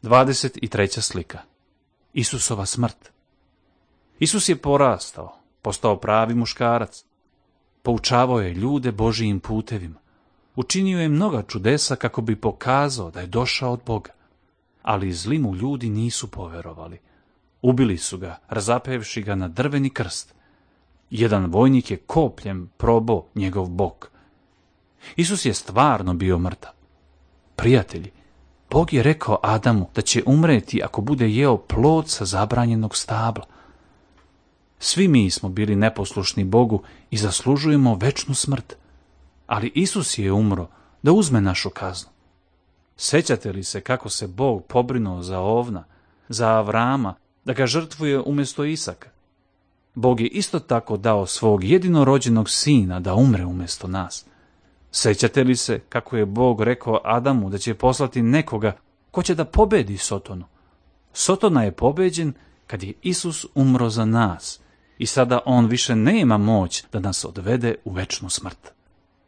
23. slika. Isusova smrt. Isus je porastao, postao pravi muškarac. Poučavao je ljude Božijim putevima. Učinio je mnoga čudesa kako bi pokazao da je došao od Boga. Ali zli mu ljudi nisu poverovali. Ubili su ga, razapevši ga na drveni krst. Jedan vojnik je kopljem probao njegov bok. Isus je stvarno bio mrtav. Prijatelji, Bog je rekao Adamu da će umreti ako bude jeo plod sa zabranjenog stabla. Svi mi smo bili neposlušni Bogu i zaslužujemo večnu smrt. Ali Isus je umro da uzme našu kaznu. Sećate li se kako se Bog pobrinuo za ovna, za Avrama, da ga žrtvuje umjesto Isaka? Bog je isto tako dao svog jedinorođenog sina da umre umjesto nas. Sećate li se kako je Bog rekao Adamu da će poslati nekoga ko će da pobedi Sotonu? Sotona je pobeđen kad je Isus umro za nas i sada on više nema moć da nas odvede u večnu smrt.